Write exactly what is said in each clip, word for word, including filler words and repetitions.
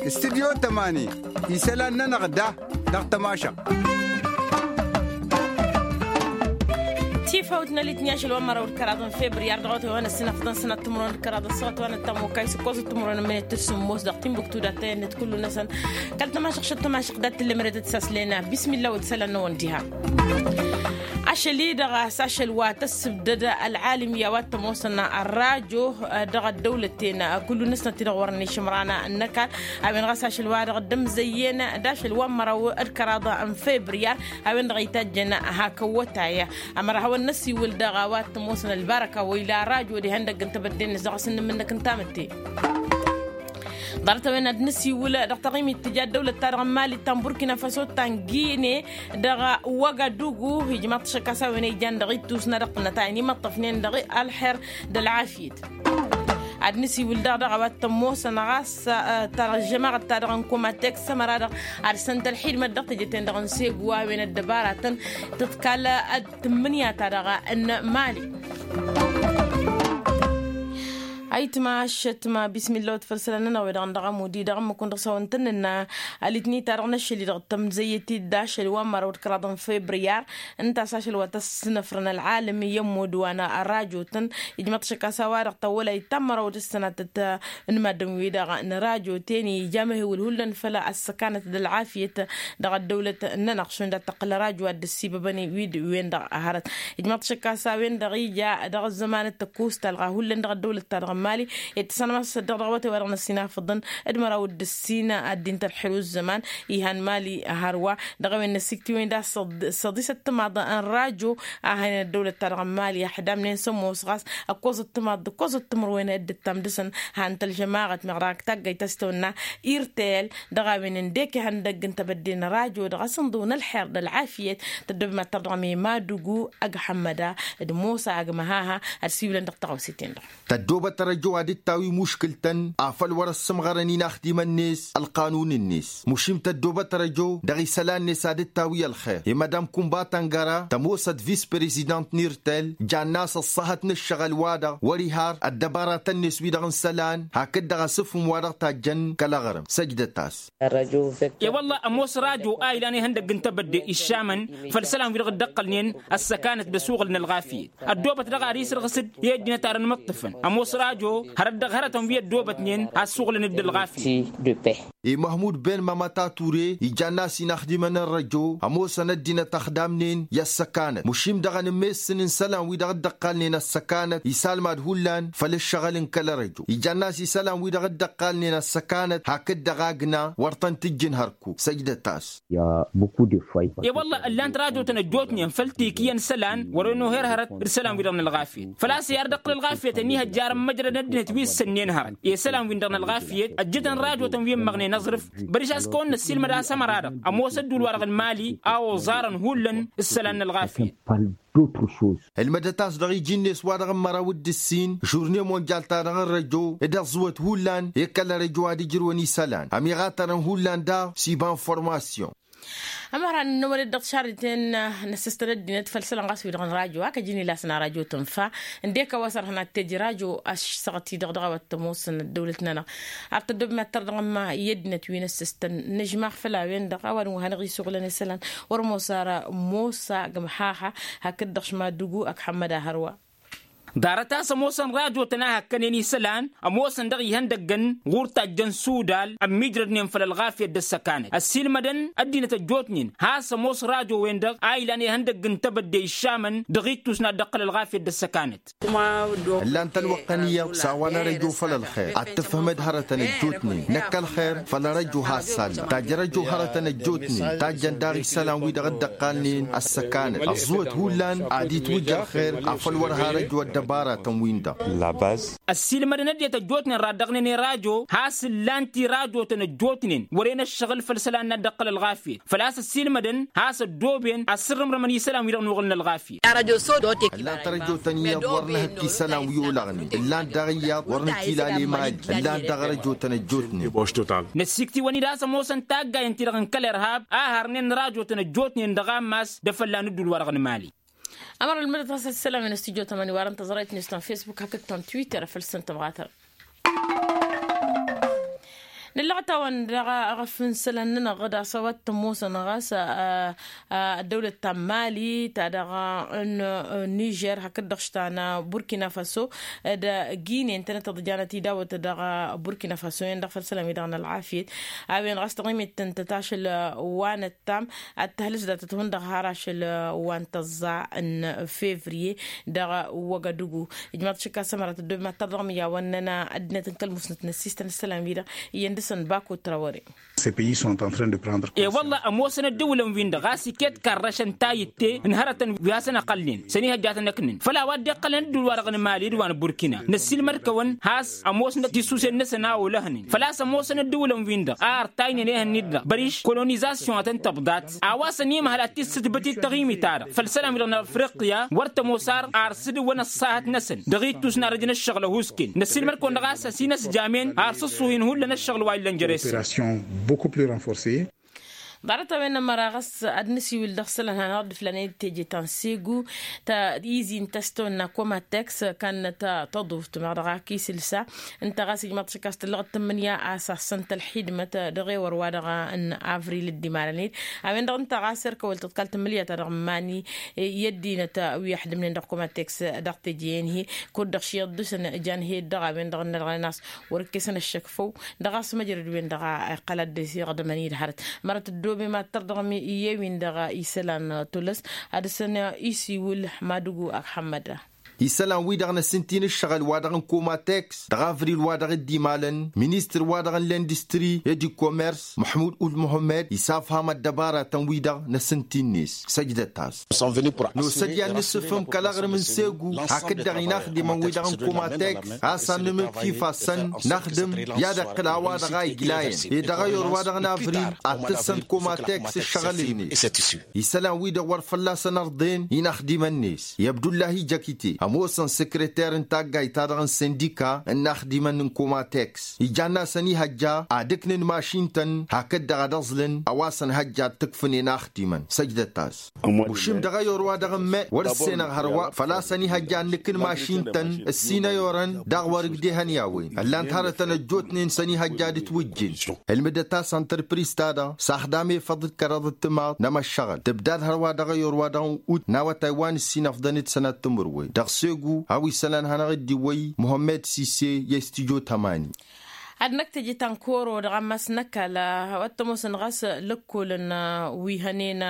Studyo tămani isălan-nănăɣ da dăɣ-tămašăɣt. Tifawt n-alitni ašăl wa n-măraw d-kăraḍ n-febriyar dăɣ-awătay wa n-ăssinăfḍăn sănăt timǝrwen d-kăraḍ ăssaɣăt wa n-ăttamokay s-ǝkkoẓăt timǝrwen n-emănet d-sǝmmos dăɣ-timbuktu d-attăyăn-net kullu-năsăn. Kăl-tămašăɣt šăt tămašăɣt dat-tǝllem ere tăt-saslen bismilla wa d-isălan-năwăn diha. Ašăl-i-dăɣ a-s ašăl wa tăssǝbdăd ălɣalimya wa t-ămoosăn ărrajo dăɣ-ăddăwlăten kullu-năsnăt-i-dăɣ wăren išǝmran n-ăkall. A-wen ɣas ašăl-wa-dăɣ dd-ămzăyyăn d-ašăl wa n-măraw d-kăraḍ n-febriyar a-wen-dăɣ itajjăn hak ăwwătay. Ămăra hawăn-năsiwǝl dăɣ-a-wa t-ămoosăn ălbarăka wa ila ărrajo d-ihăndăgg n-tebădde-net dăɣ-asǝnnǝm-năk n-tamǝtte. Ḍarăt-a-wen ad-nǝsiwǝl dăɣ-taɣimit tǝja ăddăwlăt-ta-dăɣ n-mali ta n-burkina faso ta n-gine dăɣ-wagadugu ijmaḍ-t ašăk a-s a-wen a ijan dăɣ-ittus n-ad-ăqqǝlnăt a inimăṭṭăfnen dăɣ-ălxer d-ălɣafyăt. Ad-nǝsiwǝl daɣ dăɣ-a-wa t-ămoosăn ɣas ta dăɣ-žămaɣăt ta dăɣ-n komatek s-ămăra-dăɣ ad-săn-t ălxidmăt dăɣ-teje-ten-dăɣ n-segu a-wen ăddăbaratăn tǝḍkal d-tǝmmǝnǝya ta dăɣ-n-mali. Ayǝtma ašătma bismilla wăt făll-isălan-nănăɣ wi-dăɣ n-dăɣ-amudi dăɣ-ǝmmǝk-wen dăɣ-s a-wa n-tăn-nǝnna alitni-ta-dăɣ n-ašăl-i-dăɣ tămzăyyăt-dd ašăl wa n-măraw d-kăraḍ n-febriyar ǝnta a-s ašăl wa tăsnăfrăn ălɣalăm i-ămmud wa n-ărrajo-tăn. Ijmăḍ-t ašăk a-s a-wa-dăɣ tawălay ta n-măraw d-ǝssănatăt n-maddǝm-wi-dăɣ n-ărrajo-ten ija amăhewǝl hullan făll-ăssăkanăt d-ălɣafyăt dăɣ-ăddăwlăt-nănăɣ šund ad-tăqqǝl ărrajo ad-dd-ăssibăbăn wi-wen-dăɣ hărăt. Ijmăḍ-t ašăk a-s a-wen-dăɣ ija dăɣ-ăzzămanăt tăkkusta ălɣa hullan dăɣ-ăddăwlăt-ta-dăɣ n-mali i-tăsănmăsăd dăɣ-dăɣ awătay wa dăɣ-năsinafăḍăn d-măraw d-ǝssin ăddin tălxăl u-ăzzăman. Ihan mali hărwa dăɣ-a-wen n-ăsiktiwen da s-săḍisăt timaḍ n-rajo a hăyăn ăddăwlăt-ta-dăɣ n-mali ăḥdamnen s-ămoos ɣas ăkkoẓăt timaḍ d-ăkkoẓăt timǝrwen dd-ǝttam dăɣ-săn. Han-t ălžămaɣăt meɣ dăɣ-taggayt a-s tăwănna irtel dăɣ-a-wen ǝndek ihăndăgg n-tebădde n-rajo dăɣ-asǝnḍǝw n-ălxer d-ălɣafyăt. Tăddobem ad-tărdăɣăm i-madugu ăgg ḥămmăda d-mosa ăgg măhaha. Ad-siwǝlăn dăɣ-tăɣawse-ten-dăɣ. Tăddoobăt răjo ad-dd-tawi muškǝl-tăn afăl wăr-ăssǝmɣărăn inaxdimăn-net ălqanun-net mušim tăddoobăt răjo dăɣ-isălan-net ad-dd-tawi ălxer i-mădam kunba tăngăra tămoosăt vis-prezidant n-irtel. Jann'-as ăṣṣăhăt n-ǝššăɣǝl-wa-dăɣ wăr-iha ăddăbaratăn-net wi-dăɣ n-isălan hakd-dăɣ asǝfhǝm wa dăɣ-tajjăn kăl-aɣrǝm săjdăt-as. E-wălla ămoos rajo a ilan ihăndăgg n-tebădde iššamăn făll-isălan wi-dăɣ dd-ăqqălnen ăssăkanăt d-asuɣǝl n-ălɣafyăt. Ăddoobăt daɣ ad-isǝrɣǝs-dd i-ăddinăt ar ănmǝṭṭǝfăn ămoos rajo hărăt dăɣ-hărătăn wi ăddoobătnen ad-suɣǝlăn dd-ălɣafyăt. I-măhmud ben mamăta ture ijann'-as inaxdimăn n-răjo ămoosăn ăddinăt ăxdamnen i-ăssăkanăt mušim dăɣ-anǝmmessǝn n-isălan wi-dăɣ dd-ăqqalnen ăssăkanăt isalmad hullan făll-ǝššăɣǝl n-kăl-răjo ijann'-as isălan wi-dăɣ dd-ăqqalnen ăssăkanăt hakd-dăɣ agna wăr tăn-tǝjjǝn hărkuk săjdăt-as. E-wălla ǝllan-t rajotăn ăjjootnen făll-tikǝyăn isălan wăren oher hărăt d-isălan-wi-dăɣ n-ălɣafyăt făl-a-s i-ar d-ăqqǝl ălɣafyăt ănihăjja arămmăjrăd ăddinăt wi ǝssănnen hărăt i-isălan-win-dăɣ n-ălɣafyăt ăjjǝtăn rajotăn wi ǝmmăɣnen aẓrǝf. Băriš a-s kăwăn-năssiilmăd a-s ămăra-dăɣ ămoos ădduul-wa-dăɣ n-mali a oẓarăn hullan isălan n-ălɣafyăt. Ǝlmădăt-as dăɣ-iji-net wa dăɣ-n măraw d-ǝssin žurne monjal-ta-dăɣ n-răjo d-ăẓẓǝwăt hullan i-kăl-răjo ad-ǝjrǝwăn isălan ămiɣatărăn hullan daɣ s-iba n-formasyon. Ămărhan n-ăwălăt dăɣ-tišarriten n-ăssăstăn ăddinăt făll-isălan ɣas wi-dăɣ n-rajo hak ăjǝn ila a-s n-arajo tǝnfa ǝndek a-wa s-ărhăn ad-t-ej rajo ăššăɣăt-i-dăɣ dăɣ-a-wa t-ămoosăn ăddăwlăt-nănăɣ. Ar tăddobem ad-tărdăɣăm i-ăddinăt wi n-ăssăstăn nǝžmaɣ făll-a-wen-dăɣ a-wa dăɣ-n wa hanăɣ-isuɣǝlăn isălan wăr-ămoos ara mosa gǝmhaha hakd-dăɣ šmadugu ăkḥămmăd ahărwa. Ḍarăt a-s ămoosăn rajotăn a hăkkănen isălan ămoosăn dăɣ-ihăndăggăn ɣur-tajjăn sudal ămmiijrădnen făll-ălɣafyăt d-ăssăkanăt ăssiilmădăn ăddinăt ăjjootnen has-ămoos rajo-wen-dăɣ a ilan ihăndăgg n-tebădde iššamăn dăɣ-ittus n-ad-dd-ăqqǝl ălɣafyăt d-ăssăkanăt. Ǝllan-tăn wăqqăn iyyăḍ s-a-wa n-arăjo făll-ălxer ad-tǝfhǝmăd hărătăn ăjjootnen năkk ălxer făll-arăjo has-sallăm tajj' arăjo hărătăn ăjjootnen tajjăn daɣ isălan-wi-dăɣ dd-ăqqalnen ăssăkanăt ăẓẓǝwăt hullan ad-itwǝjj ălxer afăl wăr har ăjjo ăddăbaratăn-win-dăɣ. Ăssiilmădăn ăddinăt ăjjootnen raddăɣnen i-rajo has-ǝllan-t i-rajotăn ăjjootnen wăren ăššăɣǝl făll-isălan n-ad-dd-ăqqǝl ălɣafyăt făl-a-s ăssiilmădăn has-ăddooben ad-sǝrrǝmrămăn isălan-wi-dăɣ n-oɣǝl n-ălɣafyăt. Ǝllan-t ărăjotăn iyyăḍ wăr nǝhǝkk isălan wi olăɣnen ǝllan-t daɣ iyyăḍ wăr nǝtila lemali ǝllan-t daɣ ărăjotăn ăjjootnen. Năssiiktǝwăn-dd a-s ămoosăn taggayăn-ti-dăɣ n-kăl-irhab a harnen n-rajotăn ăjjootnen dăɣ-ammas d-afălla n-ǝddul-wa-dăɣ n-mali. Ămăr ălmădăt ɣas ăssălam i-năstijot ămăni warăn tăẓrăyt-net ta n-fesbuk hakd ta n-twitter făll-săn tămɣatăr. Nǝllăɣ-tawăn daɣ aɣăf n-isălan-nănăɣ d-asăwat tămoosăn ɣas ăddăwlăt ta n-mali ta dăɣ-n nižer hakd-dăɣ ta n-burkina faso d-gine ǝntănăt tăḍjanăt idawăt dăɣ-burkina faso-en-dăɣ făll-isălan-wi-dăɣ n-ălɣafyăt. A-wen ɣas taɣimit tăn-tătašăl wa n-ăttam ad-tăhlǝs datăt hundăɣ har ašăl wa n-tăẓẓa n-fevriye dăɣ-wăgădǝgu. Ijmaḍ šǝkka s-ămărat ăddoobem ad-tărdăɣ mǝyyawăn-nănăɣ ăddinăt n-kăl-musnăt n-ăssistăn isălan-wi-dăɣ iyyăn dăɣ-săn bako trawăre. E-wălla ămoosăn ăddǝwǝlăn-win-dăɣ ɣas iket karrăšăn tayǝtte n-hărătăn wi hasăn-ăqqălnen sănihăjjatăn ăknăn făll-a-wa dd-iqqălăn ăddǝwǝl-wa-dăɣ n-mali d-wa n-burkina. Năssiilmăd-kăwăn has-ămoosnăt tisusen-năsăn a olăhnen făl-a-s ămoosăn ăddǝwǝlăn-win-dăɣ a ărtaynen ehăn-in-dăɣ băriš kolonizasyon ad-tăn-tăbḍat. A-wa săn imhăl ad-t-issǝtbǝt d-taɣimit-ta-dăɣ făll-isălan-wi-dăɣ n-afriqya wăr tămoos ar ar s-dǝwwăn ăṣṣahăt-năsăn dăɣ-ittus n-arăj n-ǝššăɣǝl ăhuusken. Năssiilmăd-kăwăn dăɣ-a-s ăsinăsjamen ar s-ǝṣṣuhin hullan ǝššăɣǝl wa illăn jere-săn. Ḍarăt-a-wen ămăra ɣas ad-nǝsiwǝl dăɣ-isălan hanăɣ-dd-ǝflanen d-teje ta n-segu ta izi n-tăstăwănna komateks kannăt tăḍuft meɣ dăɣ-ak isǝlsa. Ǝnta ɣas ijmaḍ-t šăkkas tǝllăɣăt tǝmmǝnǝya a-s assăn-t ălxidmăt dăɣ-ewăr-wa-dăɣ n-avril dd-imalăn-dd. A-wen-dăɣ ǝnta ɣas erk ăwăl tǝḍkal tǝmmǝnǝya-ta-dăɣ n-iman-i i-ăddinăt wi ăḥdǝmnen dăɣ-komateks dăɣ-teje-en-hi kud-dăɣ šiyyăḍ dăɣ-săn ǝjan hi-dd dăɣ-a-wen-dăɣ ǝnnă dăɣ-ănnas wăr-ǝkkesăn ăššăk făw. Dăɣ-a-s măjrăd-wen-dăɣ a iqqăl ad-dd-isiɣdămăn i-dd hărăt. Mărăt ăddoobem ad-tărdăɣăm i-e-win-dăɣ isălan tulăs ad-dăɣ-săn isiwǝl. Madugu ăxmăd. Isălan-wi-dăɣ n-asǝnti n-ǝššăɣǝl wa dăɣ-n komateks dăɣ-avril wa dăɣ-dd-imalăn ministăr wa dăɣ-n lindustri i-dd-komers măḥmud ul muhămmăd isafham ăddăbaratăn-wi-dăɣ n-asǝnti-net. Săjdăt-as. Nosăt i-ad-nǝssǝfhǝm kăl-aɣrǝm n-segu hakd-dăɣ inaxdimăn-wi-dăɣ n-komateks a-s ad-nǝmǝkf ifassăn năxdǝm i-ad-iqqǝl a-wa-dăɣ a iglayăn ed dăɣ-ayor-wa-dăɣ n-avril ad-tǝssăn komateks ǝššăɣǝl-net. Isălan-wi-dăɣ wăr fălla-săn ărḍen inaxdimăn-net i-abdullahi jăkite ămoosăn săkrăter n-taggayt-ta-dăɣ n-sindika n-inaxdimăn n-komateks ijanna săn ihăjja ad-ǝknǝn mašin-tăn hakd-dăɣ ad-ăẓlǝn a-wa săn hăjja ad-t-ǝkfǝnen axdimăn săjdăt-as. Ušǝm dăɣ-ayor-wa-dăɣ n-meɣ wăr-ǝssenăɣ hărwa făl-a-s ănihăjja ad-nǝkǝn mašin-tăn ǝssin ayorăn daɣ wăr-ǝgdehăn i-a-wen ǝllan-t hărătăn ăjjootnen s-ănihăjja ad-ǝtwǝjjǝn. Ǝlmǝdăt-as ăntrăpris-ta-dăɣ s-axdam efăḍ d-kăraḍ d-timaḍ n-emăššăɣǝl tǝbdad hărwa dăɣ-ayor-wa-dăɣ n-ut n-awătay wa n-ǝssin ăfḍăn d-sănat timǝrwen dăɣ-segu a-wa isălan-hanăɣ-dd-iwwăy muhămmed sise i-s tijot ămani. Ad-năkk teje ta n-koro dăɣ-ammas n-ăkall a-wa t-ămoosăn ɣas lăkkolăn wi hănen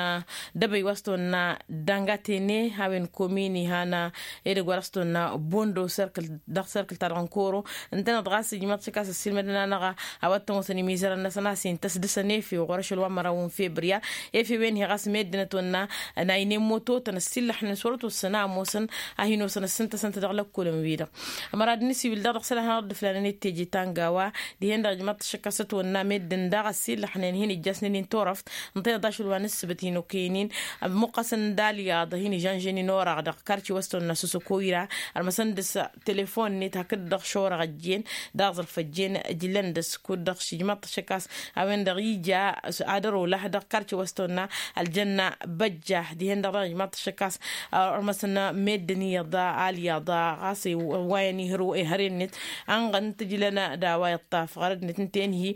dăbăy wa s-tăwănna dăngatene a-wen komin ihan edăgg wa dăɣ-s tăwănna bondo serkǝl dăɣ-serkǝl-ta-dăɣ n-koro. Ǝntăneḍ ɣas ijmaḍ šăkkas ăssiilmădăn-anăɣ a-wa t-ămoosăn imizărăn-năsăn a-s intăs dăɣ-săn efew ɣur-ašăl wa n-măraw n-febrǝya efew-en-hi ɣas meddǝn ătwănna n-aynen mototăn ăssiillăxnen s-wăr ătwăssăn a ămoosăn a hin-osăn ăssintăsăn-t dăɣ-lăkkolăn-wi-dăɣ. Ămăra ad-nǝsiwǝl daɣ dăɣ-isălan hanăɣ-dd-ǝflanen d-teje ta n-gawa dihen-dăɣ ijmaḍ-t šăkkas ătwănna meddǝn daɣ ăssiillăxnen hin-ijjasnen-in turăft ǝnta iḍašul wa n-ǝssǝbǝt hin-okăyăn-in. Ămmuqqăsăn d-alyaḍ hin-ižănžăn-in oraɣ dăɣ-karci wa s-tăwănna sosăkoyra ărmăsăn dăɣ-s telefon-net hakd-dăɣ šorăɣ ăjjeen d-aẓrǝf ăjjeen ǝjlăn dăɣ-s kud-dăɣ s-ijmaḍ-t šăkkas a-wen-dăɣ ija s-ad-ărolăh dăɣ-karci wa s-tăwănna ăljănna băjja dihen-dăɣ daɣ ijmaḍ-t šăkkas. Ărmăsăn meddǝn iyyăḍ alyaḍ ɣas ăwwayăn ihăr ihăre-net ănɣăn tǝjlăn d-a-wa iṭṭaf ɣărăd-net ǝnta-en-hi.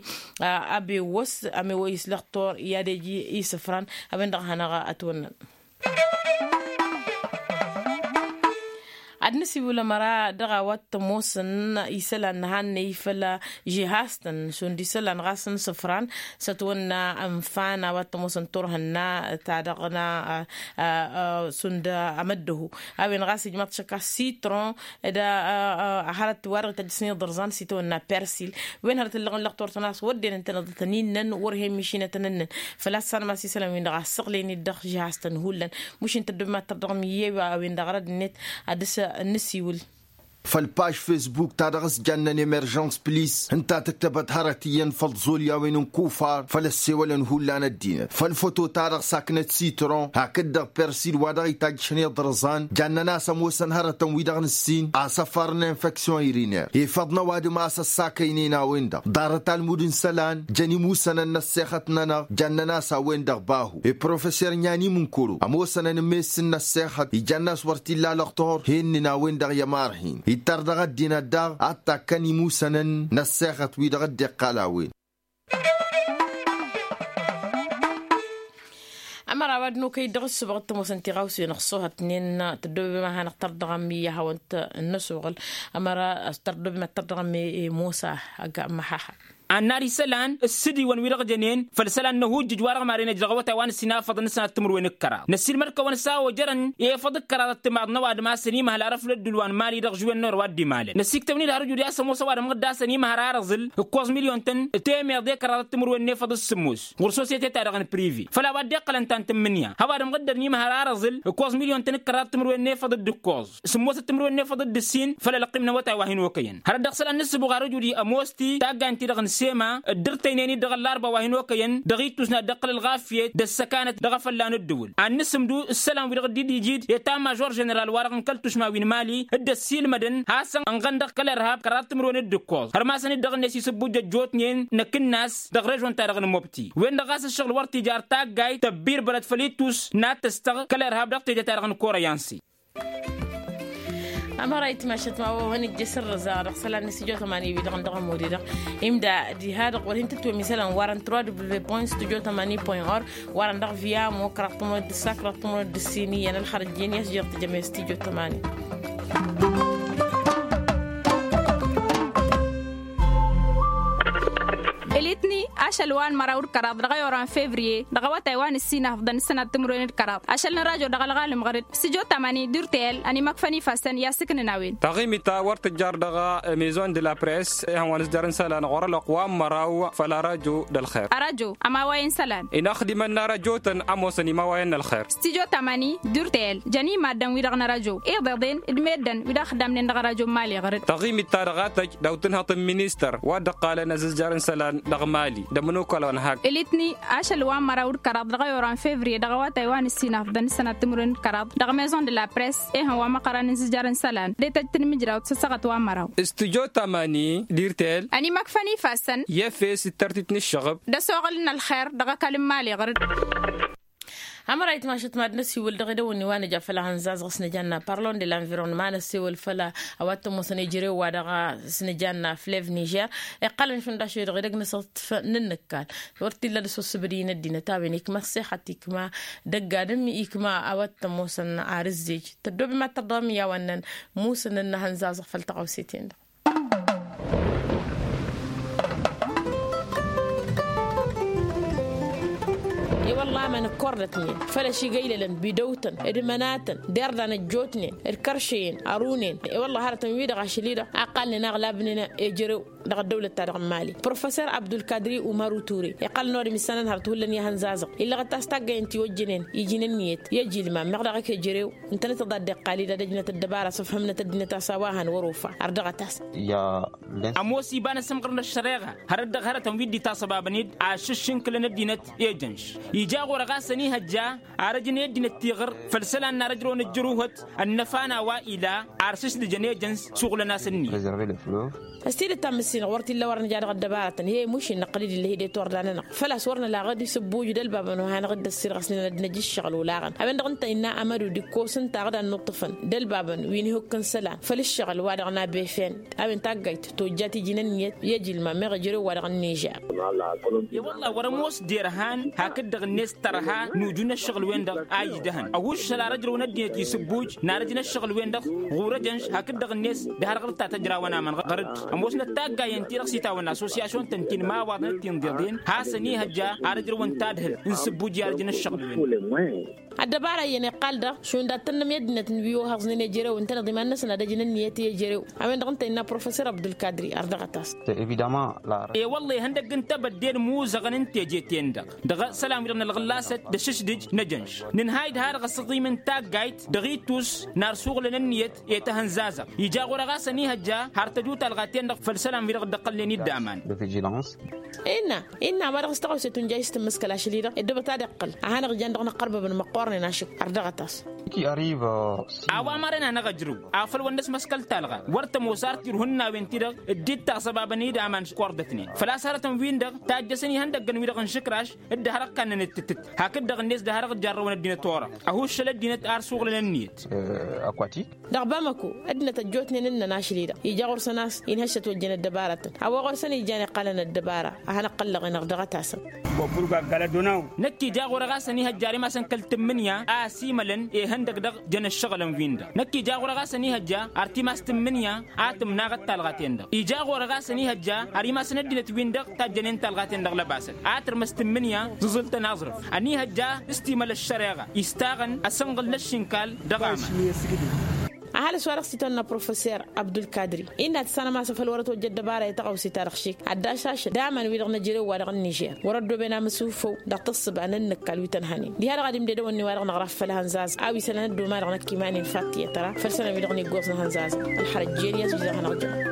Abewăs ămewăy s-lăxtur i-ad-eji isǝfran a-wen-dăɣ hanăɣ-ătwănnăn. Ad-nǝsiwǝl ămăra dăɣ-a-wa t-ămoosăn isălan n-ehăn n-eyfăl žihaz-tăn šund isălan ɣas n-isǝfran s-ătwănna ănfan a-wa t-ămoosăn turhǝnna ta dăɣ-na šund amăddăhu. A-wen ɣas ijmaḍ-t šăkka sitron d-hărăt wa dăɣ-ităjjăsăn iḍărẓan s-itawănna persil. Wen hărăt ǝllăɣăn lăxtur-tăn a-s wădden ǝntăneḍ tăn-innăn wăr hen mišinătăn ǝnnăn. Făl-a-s sanmăs isălan-win-dăɣ a ăssăɣlăyăn-dd dăɣ-žihaz-tăn hullan. Mušin tăddoobem ad-tărdăɣăm i-ew a-wen-dăɣ rădd-net ad-dăɣ-s nǝsiwǝl. făll-paž fesbuk ta dăɣ-s jannen emerjăns plis ǝnta tǝktăbăt hărăt iyyăn făll-ẓulyawen n-kufar făll-ăssewălăn hullan ăddinăt făll-foto ta dăɣ-saknăt sitron hakd-dăɣ persil wa dăɣ-itajjăšăn iḍrǝẓan jannen a-s ămoosăn hărătăn wi-dăɣ nǝssin asăfar n-infeksyon iriner efăḍ n-ăwadǝm a-s ăssakăynen a-wen-dăɣ ḍarăt almud n-isălan jăn imusănăn n-ăssexăt-nănăɣ jannen a-s a-wen-dăɣ bahu i-professer n-iyan imǝnkuru ămoosănăn n-mess n-ăssexăt ijann'-as wăr t-illa lăqtor hennǝn a-wen-dăɣ i-ămarhin ittăr dăɣ-ăddinăt daɣ ad-takkăn imusănăn n-ăssexăt wi-dăɣ dd-iqqal a-wen. Ămăra wa d-nokăy dăɣ-ǝssǝbăɣ d-tămoosăn tiɣawsen ăṣṣuhătnen tăddobem a hanăɣ-tărdăɣăm i-ad-hawăn-t-năsuɣǝl. Ămăra tărdobem ad-tărdăɣăm i-musa. Ăgg măhaha. Annar isălan ǝssǝdiwăn wi-dăɣ jănen făll-isălan n-ahujjǝj wa dăɣ-maren ăj dăɣ-awătay wa nǝssin afăḍăn n-sănat timǝrwen d-kăraḍ năssiilmăd-kăwăn s-a ojărăn i-efăḍ d-kăraḍăt timaḍ n-ăwadǝm a-s ănimăhăl arăf n-ăddul wa n-mali dăɣ-žuwen n-orăw a dd-imalăn năsiktăwăn-dd har ǝjud i-a-s ămoos ăwadǝm ɣǝdda a-s ănimăhăl arăẓǝl ǝkkoẓ milyon-tăn temeḍe kăraḍăt timǝrwen n-efăḍ s-sǝmmos ɣur-sosyete-ta-dăɣ n-prive făll-a-wa dd-iqqălăn ta n-tǝmmǝnǝya hăwadǝm ɣǝddăr n-imăhăl arăẓǝl ǝkkoẓ milyon-tăn d-kăraḍăt timǝrwen n-efăḍ d-ǝkkoẓ sǝmmosăt timǝrwen n-efăḍ d-ǝssin făll-ălăqqim n-awătay wa hin-okăyăn hărăt dăɣ-isălan n-ǝssǝbuɣ har ǝjud i-ămoos-t-i taggaynt-ti-dăɣ n-sema dd-ǝrtăynen-dd dăɣ-ăllarba wa hin-okăyăn dăɣ-ittus n-ad-dd-iqqǝl ălɣafyăt d-ăssăkanăt dăɣ-efălla n-ǝddǝwǝl ad-nǝsǝmdu ǝssălan-wi-dăɣ dd-ija ija etamajor ženeral wa-dăɣ n-kăl-tušma wi n-mali dd-ăssiilmădăn hasăn-ănɣăn dăɣ-kăl-irhab kăraḍ timǝrwen d-ǝkkoẓ hărmasăn-dd dăɣ-net isǝbbujjăjjotnen n-akǝnnas dăɣ-režon-ta-dăɣ n-mobti wen-dăɣ ɣas ǝššăɣǝl wăr t-ija ar taggayt tăbbirbărăt făll-ittus n-ad-tăstăɣ kăl-irhab dăɣ-teje-ta-dăɣ n-korăyansi. Ămăra itmašăt ma wa hăn ǝjjăs ărrăza dăɣ-isălan n-stujo tămani wi-dăɣ n-dăɣ ămodi-dăɣ imda diha-dăɣ wăr hin-tǝtwem isălan warăn trois w point stujo tămani point org warăn dăɣ-viamo kăraḍ tămănod d-ǝssa kăraḍ tămănod d-ǝssin iyyăn ălxărăjjen i-asjăr tǝjăme stujo tămani. Ălitni ašăl wa n-măraw d-kăraḍ dăɣ-ayorăn fevriye dăɣ-awătay wa n-ǝssin afḍăn ǝssănat timǝrwen d-kăraḍ ašăl n-rajo dăɣ-ălɣalăm ɣăr-dd stujo tămani d-urtel ănimăkfăn ifassăn i-asǝknǝn a-wen. Taɣimit ta wăr tǝjjar dăɣ-maison de la press ihăn wa n-ǝzjăr n-isălan ɣur-ălwăqq wa n-măraw făll-arajo d-ălxer. Arajo ămawayăn isălan. Inaxdimăn n-arajotăn ămoosăn imawayăn n-ălxer. Stujo tămani d-urtel jăn i-maddǝn-wi-dăɣ n-arajo iḍeḍen d-meddǝn wi-dăɣ ăxdamnen dăɣ-arajo n-mali ɣăr-dd. Taɣimit ta dăɣ-a tăj daw-tǝnhăḍ n-ministăr wa dd-ăqqalăn azǝzjăr n-isălan dăɣ-mali d-ămănokal wa n-hak. Ălitni ašăl wa n-măraw d-kăraḍ dăɣ-ayor n-fevriye dăɣ-awătay wa n-ǝssin afḍăn ǝssănat timǝrwen d-kăraḍ dăɣ-maison de la press ehăn wa măqqărăn n-azǝzjăr n-isălan d-etăjj tinmǝjrawt s-ăssaɣăt wa n-măraw. Stujo tămani d-irtel ănimăkfăn ifassăn. I-efes d-tărtit n-ǝššăɣǝb d-ăsoɣǝl n-ălxer dăɣ-ăkall n-mali ɣăr-dd. Ămăra itmašăt mad-năsiwǝl dăɣ-edăwănni wa nǝja făll-ahănzazăɣ s-nǝjanna parlon de la environnement n-ăssewăl făll-a-wa t-ămoosăn ejărew-wa-dăɣ s-nǝjanna flev nižer iqqălăn šund ašăl-i-dăɣ edăgg n-asǝḍfăn n-inǝkkal. Wăr t-illa d-asosǝbǝd-i n-ăddinăt a-wen ikma ăṣṣixăt ikma dăgg-adǝm ikma a-wa t-ămoosăn ar ǝzzej. Tăddoobem ad-tărdăɣăm i-a-wa ǝnnăn musǝn n-ahănzazăɣ făll-taɣăwse-ten-dăɣ. E-wălla-măn ǝkkordătnen făl-ašigăylălăn bidăw-tăn d-imănatăn d-irdan ăjjootnen d-kăršăyăn ărunen. E-wălla hărătăn-wi-dăɣ ašăl-i-dăɣ a ǝqqalnen aɣlabnen ejărew dăɣ-ăddăwlăt-ta-dăɣ n-mali professor abdulkadri umaru ture iqqălăn orăm issanăn hărăt hullan i-ahănzazăɣ illăɣăt a-s taggayăn tiwăjjănen ijinăn iyyăt i-ajilmam meɣ daɣ ăkejărew ǝntănăt-dd a dd-iqqal-dd ad-ăjnăt ăddăbara s-ǝfhǝmnăt ăddinăt a-s a-wa hăn wăr-ofa. Ărdăɣăt-as. Ămoos iba n-asǝmɣǝr n-ăššăreɣa hărăt dăɣ-hărătăn wi dd-itasăbabăn-dd ašǝššǝnkǝlăn ăddinăt ejănš ija ɣur-ăɣasăn ihăjja ar ăjăn i-ăddinăt tiɣǝr făll-isălan n-ar ăjrăwăn ǝjjăruhăt ănnăfa n-a-wa ila ar sǝšdǝjăn ejănš s-uɣǝlăn-as ǝnnin. Ăstidăt ta n-mǝssinăɣ wăr t-illa wăr nǝja dăɣ-ăddăbaratăn i-mušin năqqăl-dd illăh-i d-e-t wăr danănăɣ făl-a-s wăr năla ɣǝd isǝbbuj d-ălbabăn wa hanăɣ-dd-ăssirɣăsnen ad-năj ǝššăɣǝl olaɣăn a-wen-dăɣ ǝnta innă amădu d-ikkos ǝnta aɣdan n-uṭṭǝfăn d-ălbabăn wi n-ihukk n-isălan făll-ǝššăɣǝl-wa-dăɣ n-abefăn. A-wen taggayt tojjat iji n-ǝnniyăt i-ajilma meɣ ejărew-wa-dăɣ n-nižer. I-wălla wăr-ămoos derhan hakd-dăɣ-net tărha n-uju n-ǝššăɣǝl-wen-dăɣ a idăhăn ăhuššăl ar ăjrăwăn ăddinăt isǝbbuj n-arăj n-ǝššăɣǝl-wen-dăɣ ɣur-ejănš hakd-dăɣ-net d-harɣăr ta tăjrawăn amăn ɣăr-dd. Ămoosnăt taggayt. Iyyăn-ti-dăɣ s-itawănna asosyasyun-tăn ti n-imawaḍăn d-tinḍeḍen hasăn-ihăjja ar ǝjrăwăn tadhǝlt n-sǝbbuj i-ad-ǝjǝn ǝššăɣǝl-wen. Ăddăbara iyyăn iqqal-dăɣ šund ad-tănnăm i-ăddinăt n-wi ohăẓnen i-ejerew ǝntăneḍ iman-năsăn ad-ăjǝn ǝnniyăt i-ejerew. A-wen-dăɣ ǝnta innă professor abdulkadri ardăɣăt-as. Evidăma. Ewăllah ihăndăgg n-tebădde d-imuzăɣăn n-teje-ten-dăɣ dăɣ-isălan-wi-dăɣ n-ălɣǝllasăt d-ašǝšdǝj n-ejănš. Nǝnhay d-ha-dăɣ ăsǝḍim n-taggayt dăɣ-itus n-ar suɣǝlăn ǝnniyăt i-tahǝnza-zăɣ ija ɣur-e ɣas ănihăjja har tăju talɣa-ten-dăɣ făll-isălan-wi-dăɣ dd-ăqqălnen-dd aman. Innă innă a-wa-dăɣ s-tăɣawse tunjay s-tǝmmǝskăl ašăl-i-dăɣ ed dăbăt ad-iqqǝl a hanăɣ-jan dăɣ-inăqqărbăbăn măqqoornen ašǝk. Ardăɣăt-as. A-wa maren hanăɣ-ăjrǝw afăl wăr năsmăskăl talɣa wăr tămoos ar tirhǝnnawen-ti-dăɣ dd-ittaɣ săbabăn-i d-aman s-kordătnen făl-a-s hărătăn-win-dăɣ tajjăsăn ihăndăggăn-wi-dăɣ n-išǝkraš dd-hărăkkannăn d-tǝttǝt. Hakd-dăɣ-net d-hărăɣ-jarrăwăn ăddinăt orăɣ ăhuššăl ăddinăt ar suɣǝlăn ǝnniyăt. Ăkwati. Dăɣ-bamăko ăddinăt ăjjootnen ǝnnăn ašăl-i-dăɣ ija ɣur-săn a-s inhăššăt ojjăn ăddăbarătăn a-wa ɣur-săn ijan iqqalăn ăddăbara a hanăɣ-qăllăɣen ărdăɣăt-asăn. Năkk ija ɣur-e ɣas ănihăjja ar imasăn kăl-tǝmmǝnǝya a ăsimălăn ihăndăg dăɣ-jăn ǝššăɣǝlăn-win-dăɣ năkk ija ɣur-e ɣas ănihăjja ar timas tǝmmǝnǝya a tǝmnaɣăt talɣa-ten-dăɣ ija ɣur-e ɣas ănihăjja ar imasăn ăddinăt-win-dăɣ tajjănen talɣa-ten-dăɣ lăbasăt a tǝrmǝs tǝmmǝnǝya tǝẓǝlt n-aẓrǝf ănihăjja s-timăl ăššăreɣa istaɣăn asǝnɣǝl n-ăššinkal dăɣ-aman. Ăhalǝs wa dăɣ-s itwănna professor abdulkadri innă ad-tǝssanăm a-s afăl wăr-ătwăjja ăddăbara i-tăɣawse-ta-dăɣ šik ad-dd-ašašăt d-aman-wi-dăɣ n-ejărew wa dăɣ-ănnižer wăr-ăddooben amǝsufăw dăɣ-tǝssǝba n-ǝnnǝkkal wi tăn-hănen diha-dăɣ ad-imdedăwăn-in-wa-dăɣ năɣraf făll-ihănzaz a-wa isălan ăddooma-dăɣ năkk iman-in fattiyăt tăra făll-isălan-wi-dăɣ n-iggoẓ n-ihănzazăn. Ălxărăt jeni a-s wi-dăɣ hanăɣ-jămăt.